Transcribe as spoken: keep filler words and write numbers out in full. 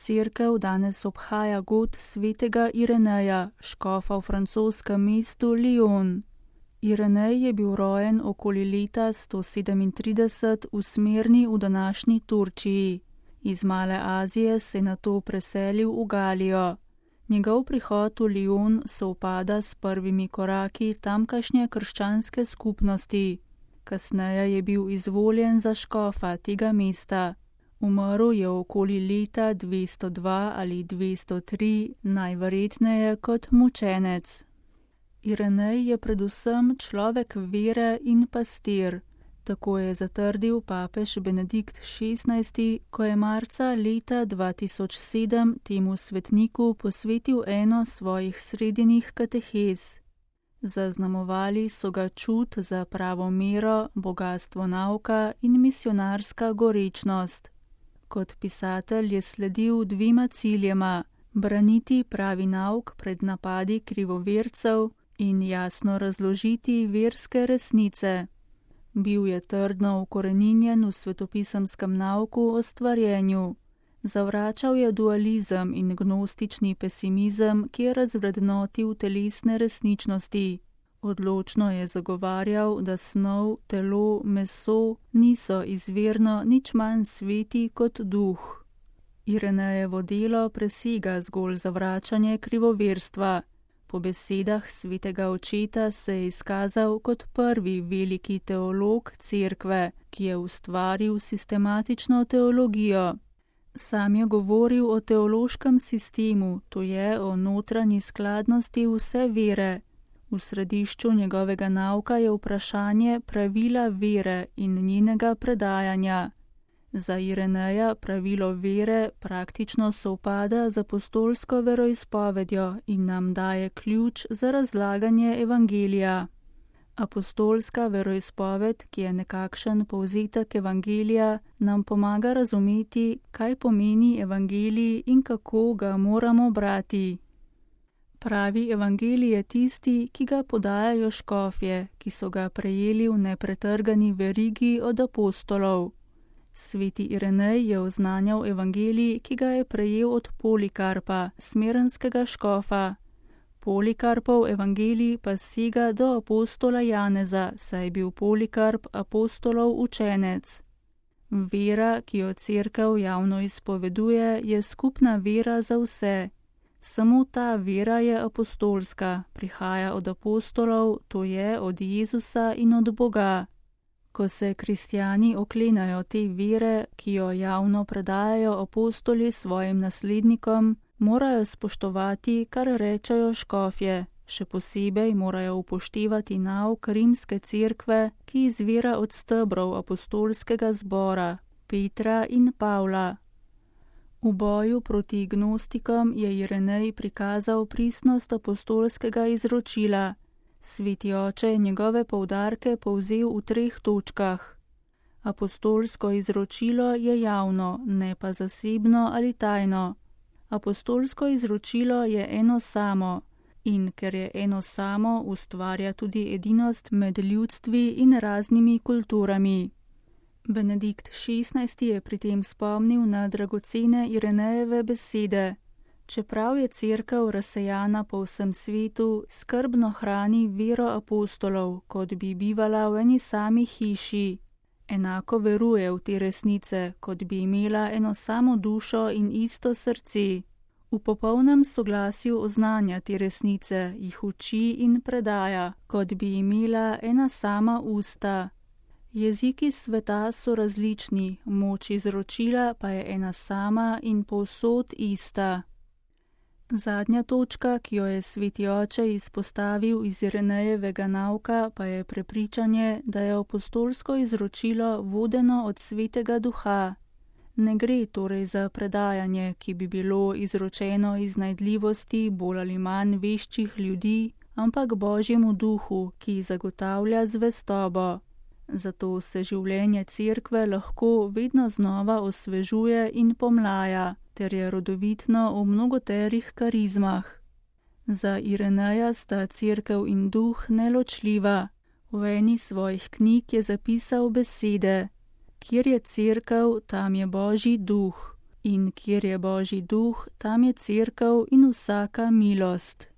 cerkev danes obhaja god svetega Ireneja, škofa v francoskem mestu Lyon. Irenej je bil rojen okoli leta sto sedemintrideset v Smirni v današnji Turčiji. Iz Male Azije se je nato preselil v Galijo. Njegov prihod v Lyon sovpada s prvimi koraki tamkajšnje krščanske skupnosti. Kasneje je bil izvoljen za škofa tega mesta. Umrl je okoli leta dvesto dva ali dvesto tri, najverjetneje kot mučenec. Irenej je predvsem človek vere in pastir. Tako je zatrdil papež Benedikt šestnajsti, ko je marca leta dva tisoč sedem temu svetniku posvetil eno svojih sredinih katehez. Zaznamovali so ga čut za pravo mero, bogastvo nauka in misionarska gorečnost. Kot pisatelj je sledil dvima ciljema: braniti pravi nauk pred napadi krivovercev in jasno razložiti verske resnice. Bil je trdno ukoreninjen v svetopisemskem nauku o stvarjenju. Zavračal je dualizem in gnostični pesimizem, ki je razvrednotil telesne resničnosti. Odločno je zagovarjal, da snov, telo, meso niso izvirno nič manj sveti kot duh. Irenejevo delo presega zgolj zavračanje krivoverstva. Po besedah svetega očeta se je izkazal kot prvi veliki teolog cerkve, ki je ustvaril sistematično teologijo. Sam je govoril o teološkem sistemu, to je o notranji skladnosti vse vere. V središču njegovega nauka je vprašanje pravila vere in njenega predajanja. Za Ireneja pravilo vere praktično sovpada z apostolsko veroizpovedjo in nam daje ključ za razlaganje evangelija. Apostolska veroizpoved, ki je nekakšen povzetek evangelija, nam pomaga razumeti, kaj pomeni evangelij in kako ga moramo brati. Pravi evangelij je tisti, ki ga podajajo škofje, ki so ga prejeli v nepretrgani verigi od apostolov. Sveti Irenej je oznanjal evangelij, ki ga je prejel od Polikarpa, smerenskega škofa. Polikarpov evangelij pa sega do apostola Janeza, saj je bil Polikarp apostolov učenec. Vera, ki jo cerkev javno izpoveduje, je skupna vera za vse. Samo ta vera je apostolska, prihaja od apostolov, to je od Jezusa in od Boga. Ko se kristjani oklenajo te vere, ki jo javno predajajo apostoli svojim naslednikom, morajo spoštovati, kar rečejo škofje. Še posebej morajo upoštevati nauk rimske cerkve, ki izvira od stebrov apostolskega zbora, Petra in Pavla. V boju proti gnostikom je Irenej prikazal pristnost apostolskega izročila. Sveti oče je njegove poudarke povzel v treh točkah. Apostolsko izročilo je javno, ne pa zasebno ali tajno. Apostolsko izročilo je eno samo in ker je eno samo, ustvarja tudi edinost med ljudstvi in raznimi kulturami. Benedikt šestnajsti je pri tem spomnil na dragocene Irenejeve besede. Čeprav je cerkev razsejana po vsem svetu, skrbno hrani vero apostolov, kot bi bivala v eni sami hiši. Enako veruje v te resnice, kot bi imela eno samo dušo in isto srce. V popolnem soglasju oznanja te resnice, jih uči in predaja, kot bi imela ena sama usta. Jeziki sveta so različni, moč izročila pa je ena sama in povsod ista. Zadnja točka, ki jo je sveti oče izpostavil iz Irenejevega nauka, pa je prepričanje, da je apostolsko izročilo vodeno od svetega duha. Ne gre torej za predajanje, ki bi bilo izročeno iz najdljivosti bolj ali manj veščih ljudi, ampak Božjemu duhu, ki zagotavlja zvestobo. Zato se življenje cerkve lahko vedno znova osvežuje in pomlaja, ter je rodovitno v mnogoterih karizmah. Za Ireneja sta cerkev in duh neločljiva. V eni svojih knjig je zapisal besede: kjer je cerkev, tam je Božji duh. In kjer je Božji duh, tam je cerkev in vsaka milost.